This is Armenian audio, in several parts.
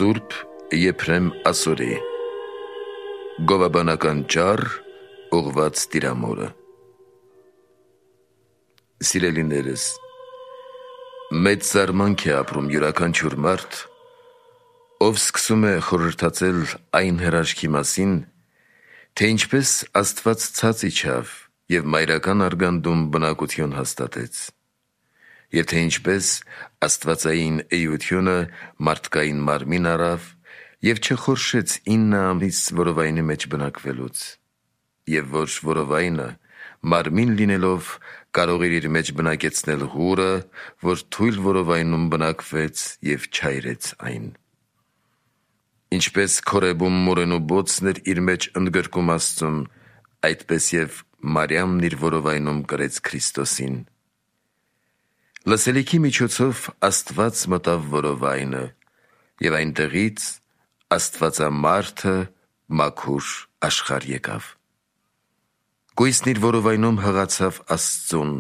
Սուրբ Եփրեմ Ասորի Գովաբանական ճառ ուղված տիրամորը։ Սիրելիներս, մեծ զարմանք է ապրում յուրաքանչյուր մարդ, ով սկսում է խորհրդածել այն հրաշքի մասին, թե ինչպես Աստված ցած իջավ և մայրական արգանդում բնակություն հաստատեց, և թե ինչպես աստվածային էությունը մարդկային մարմին առավ և չխորշեց 9 ամիս որովայնի մեջ բնակվելուց, և որ որովայնը մարմին լինելով կարող էր իր մեջ բնակեցնել հուրը, որ թույլ որովայնում բնակվեց և չայրեց այն։ Ինչպես Քորեբում մորենու բոցն էր իր մեջ ընդգրկում Աստծուն, այդպես և Մարիամն իր որովայնում կրեց Քրիստոսին։ Լսելիքի միջոցով Աստված մտավ որովայնը, և այնտեղից Աստվածամարդը մաքուր աշխարհ եկավ։ Գույսն իր որովայնում հղացավ Աստծուն,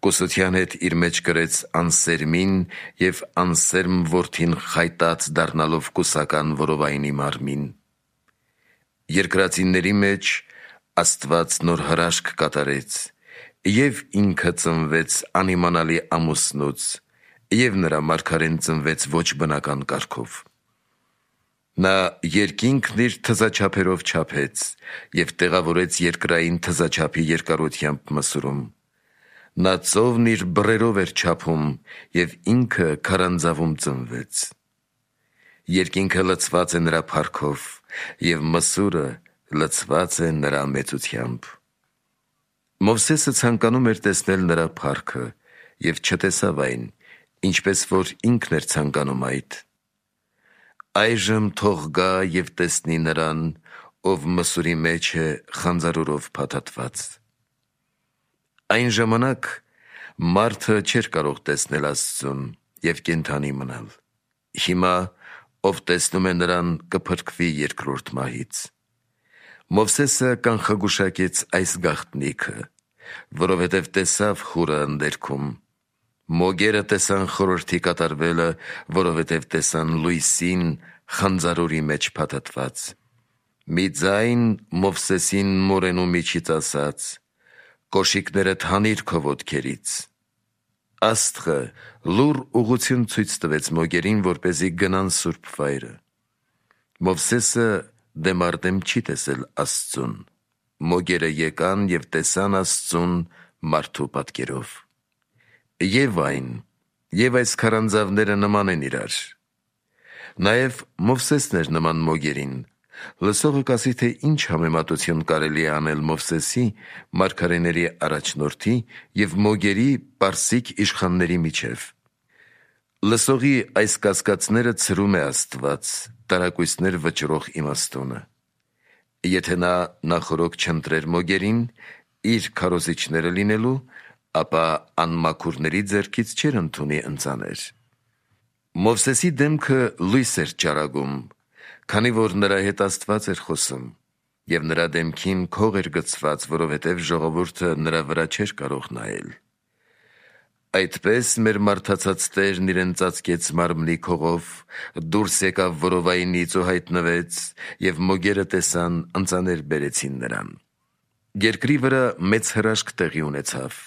կուսության հետ իր մեջ կրեց անսերմին և անսերմ որդին խայտած դառնալով կուսական որովայնի մարմին։ Երկրածինների մեջ Աստված նոր հրաշք կատարեց, և ինքը ծնվեց անիմանալի ամուսնուց, և նրա մարգարեն ծնվեց ոչ բնական կարգով։ Նա երկինքն իր թզաչափերով չափեց և տեղավորեց երկրային թզաչափի երկարությամբ մսուրում։ Նա ծովն իր բռերով էր չափում, և ինքը քարանձավում ծնվեց։ Երկինքը լցված է նրա փառքով, և մսուրը լցված է նրա մեծությամբ։ Մովսեսը ցանկանում էր տեսնել նրա փառքը և չտեսավ այն, ինչպես որ ինքն էր ցանկանում այդ։ Այժմ թող գա և տեսնի նրան, ով մսուրի մեջ է խանձարուրով փաթաթված։ Այն ժամանակ մարդը չէր կարող տեսնել Աստծուն և կենդանի մնալ։ Հիմա ով տեսնում է նրան կփրկվի երկրորդ մահից։ Մովսեսը կանխագուշակեց այս գաղտնիքը, որովհետև տեսավ խուրը ընդերքում։ Մոգերը տեսան խորհրդի կատարվելը, որովհետև տեսան լույսին խանձարուրի մեջ փաթաթված։ Մի ձայն Մովսեսին մորենու միջից ասաց. «Կոշիկներդ հանիր քո ոտքերից»։ Աստղը լուռ ուղղություն ցույց տվեց մոգերին, որպեսզի գնան սուրբ վայրը։ Մովսեսը դեմ առ դեմ չի տեսել Աստծուն։ Մոգերը եկան և տեսան Աստծուն մարդու պատկերով։ Եվ այն, և այս քարանձավները նման են իրար։ Նաև Մովսեսն էր նման մոգերին։ Լսողը կասի, թե ինչ համեմատություն կարելի է անել Մովսեսի, մարգարեների առաջնորդի և մոգերի պարսիկ իշխանների միջև։ Լսողի այս կասկածները ցրում է Աստված, տարակույսներ վճռող իմաստունը։ Եթե նա նախօրոք չընտրեր մոգերին, իր քարոզիչները լինելու, ապա անմաքուրների ձեռքից չէր ընդունի ընծաներ։ Մովսեսի դեմքը լույս էր ճառագում, քանի որ նրա հետ Աստված էր խոսում, և նրա դեմքին քող էր գցված, որովհետև ժողովուրդը նրա վրա չէր կարող նայել։ Այդպես մեր մարդացած Տերն իրեն ծածկեց մարմնի քողով, դուրս եկավ որովայնից ու հայտնվեց, և մոգերը տեսան, ընծաներ բերեցին նրան։ Երկրի վրա մեծ հրաշք տեղի ունեցավ։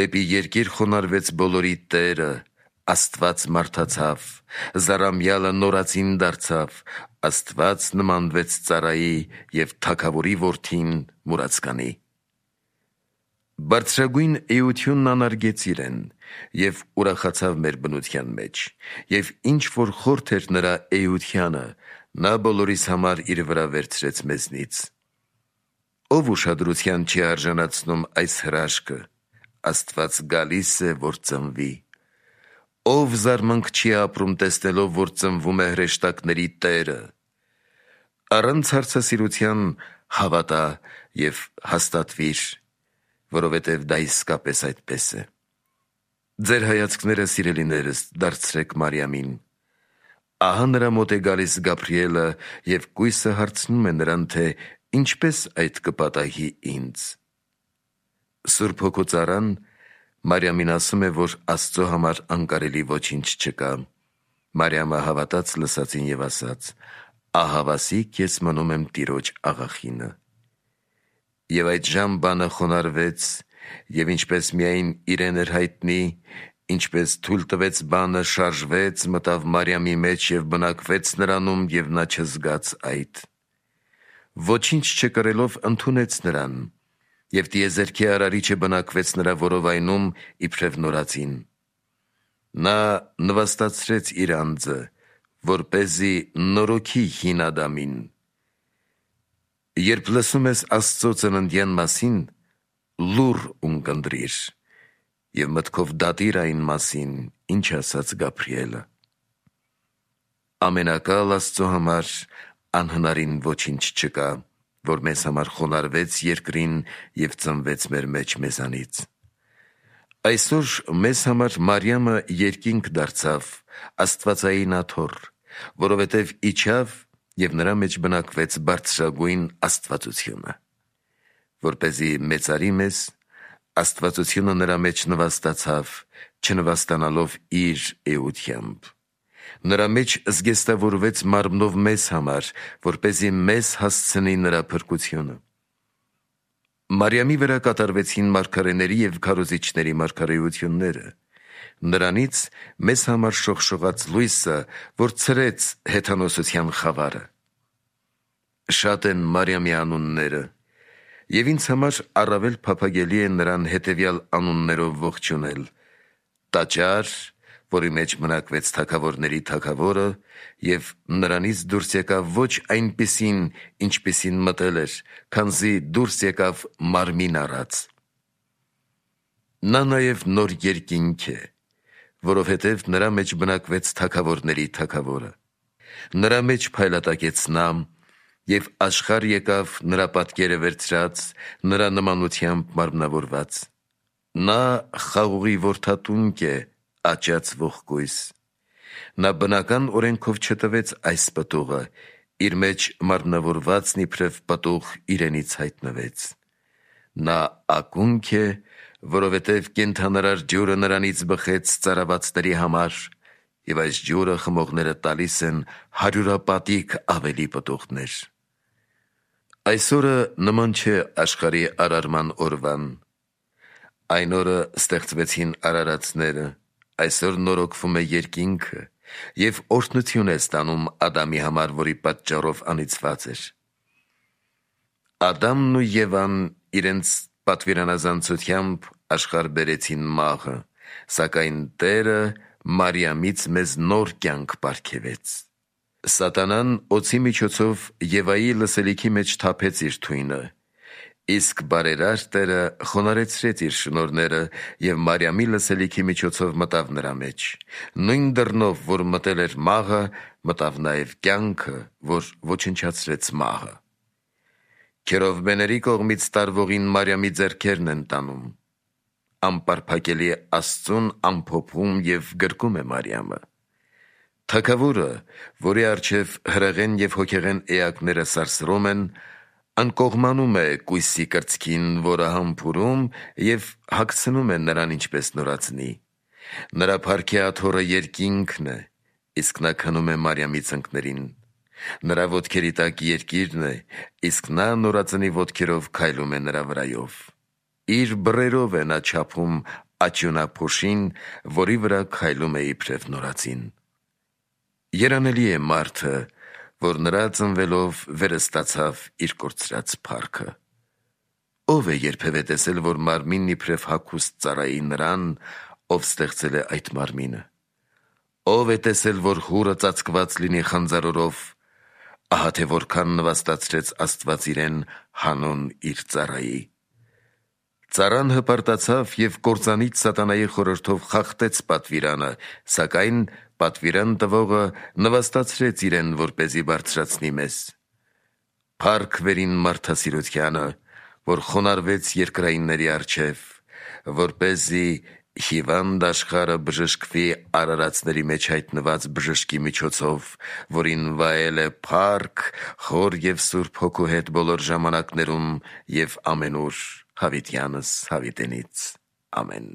Դեպի երկիր խոնարհվեց բոլորի Տերը, Աստված մարդացավ, զառամյալը նորածին դարձավ, Աստված նմանվեց ծառայի և թագավորի որդին մուրացկանի։ Բարձրագույն էությունն անարգեց իրեն և ուրախացավ մեր բնության մեջ, և ինչ որ խորթ էր նրա էությանը, նա բոլորիս համար իր վրա վերցրեց մեզնից։ Ով ուշադրության չի արժանացնում այս հրաշքը, Աստված գալիս է, որ ծնվի։ Ով զարմանք չի ապրում տեսնելով, որ ծնվում է հրեշտակների Տերը։ Առանց հարցասիրության հավատա և հաստատվիր, որովհետև դա իսկապես այդպես է։ Ձեր հայացքները, սիրելիներս, դարձրեք Մարիամին։ Ահա նրա մոտ է գալիս Գաբրիելը և կույսը հարցնում է նրան, թե ինչպես այդ կպատահի ինձ։ Սուրբ Հոգու ծառան Մարիամին ասում է, որ Աստծո համար անկարելի ոչինչ չկա, Մարիամը հավատաց լսածին եւ ասաց. «Ահավասիկ ես մնում եմ Տիրոջ աղախինը»։ Եվ այդ ժամ բանը խոնարհվեց, եւ ինչպես միայն իրեն էր հայտնի, ինչպես թույլ տվեց բանը, շարժվեց, մտավ Մարիամի մեջ եւ բնակվեց նրանում, եւ նա չզգաց այդ։ Ոչինչ չկրելով ընդունեց նրան, եւ տիեզերքի արարիչը բնակվեց նրա որովայնում իբրև նորածին։ Նա նվաստացրեց իր անձը, որպեսզի նորոգի հին Ադամին։ Երբ լսում ես Աստծո ծննդյան մասին, լուռ ունկնդրիր եւ մտքով դատիր այն մասին, ինչ ասաց Գաբրիելը։ Ամենակալ Աստծո համար անհնարին ոչինչ չկա, որ մեզ համար խոնարհվեց երկրին եւ ծնվեց մեր մեջ մեզանից։ Այսօր մեզ համար Մարիամը երկինք դարձավ, Աստվածային աթոռ, որովհետև իջավ եւ նրա մեջ բնակվեց բարձրագույն Աստվածությունը, որպեսզի մեծարի մեզ, Աստվածությունը նրա մեջ նվաստացավ, չնվաստանալով իր էությամբ։ Նրա մեջ զգեստավորվեց մարմնով մեզ համար, որպեսզի մեզ հասցնի նրա փրկությունը։ Մարիամի վրա կատարվեցին մարգարեների եւ քարոզիչների մարգարեությունները։ Նրանից մեզ համար շողշողաց լույսը, որ ցրեց հեթանոսության խավարը։ Շատ են Մարիամի անունները, եւ ինձ համար առավել փափագելի է նրան հետեւյալ անուններով ողջունել. Տաճար, որի մեջ մնակվեց թագավորների թագավորը, եւ նրանից դուրս եկավ ոչ այնպիսին, ինչպիսին մտել էր, քանզի դուրս եկավ մարմին առած։ Նա նաեւ նոր երկինք է, որովհետև նրա մեջ բնակվեց թագավորների թագավորը։ Նրա մեջ փայլատակեց նա, եւ աշխարհ եկավ նրա պատկերը վերցրած, նրա նմանությամբ մարմնավորված։ Նա խաղողի որդատունկ է, աճած ողկույզ։ Նա բնական օրենքով չտվեց այս պտուղը, իր մեջ մարմնավորվածն իբրև պտուղ իրենից հայտնվեց։ Նա ակունք է, որովհետև կենդանարար ջուրը նրանից բխեց ծարավացների համար, եւ այս ջուրը խմողները տալիս են հարյուրապատիկ ավելի պտուղներ։ Այսօրը նման չէ աշխարհի արարման օրվան։ Այն օրը ստեղծվեցին արարածները, այսօր նորոգվում է երկինքը, եւ օրհնություն է ստանում Ադամի համար, որի պատճառով անիծված էր։ Ադամն ու Եվան իրենց պատվիրանազանցությամբ աշխարհ բերեցին մահը, սակայն Տերը Մարիամից մեզ նոր կյանք պարգևեց։ Սատանան օձի միջոցով Եվայի լսելիքի մեջ թափեց իր թույնը, իսկ բարերար Տերը խոնարհեցրեց իր շնորհները եւ Մարիամի լսելիքի միջոցով մտավ նրա մեջ։ Նույն դռնով, որ մտել էր մահը, մտավ նաեւ կյանքը, որ ոչնչացրեց մահը։ Քերովբեների կողմից տարվողին Մարիամի ձեռքերն են տանում։ Անպարփակելի Աստծուն ամփոփում եւ գրկում է Մարիամը։ Թագավորը, որի առջև հրեղեն եւ հոգեղեն էակները սարսռում են, անկողմանում է կույսի կրծքին, որը համբուրում եւ հագցնում է նրան ինչպես նորածնի։ Նրա փառքի աթոռը երկինքն է, իսկ նա քնում է Մարիամի ծնկներին։ Նրա ոտքերի տակ երկիրն է, իսկ նա նորածնի ոտքերով քայլում է նրա վրայով։ Իր բռերով է նա չափում աճյունափոշին, որի վրա քայլում է իբրև նորածին։ Երանելի է մարդը, որ նրա ծնվելով վերստացավ իր կորցրած փառքը։ Ով է երբևէ տեսել, որ մարմինն իբրև հագուստ ծառայի նրան, ով ստեղծել է այդ մարմինը։ Ով է տեսել, որ հուրը ծածկված լինի խանձարորով, ահա թե որքան նվաստացրեց Աստված իրեն հանուն իր ծառայի։ Ծառան հպարտացավ եւ կործանիչ սատանայի խորհրդով խախտեց պատվիրանը, սակայն պատվիրան տվողը նվաստացրեց իրեն, որպեսզի բարձրացնի մեզ։ Փառք վերին մարդասիրությանը, որ խոնարհվեց երկրայինների առջև, որպեսզի հիվանդ աշխարհը բժշկվի արարածների մեջ հայտնված բժշկի միջոցով, որին վայել է փառք Հոր եւ Սուրբ Հոգու հետ բոլոր ժամանակներում եւ ամենուր հավիտյանս հավիտենից։ Ամեն։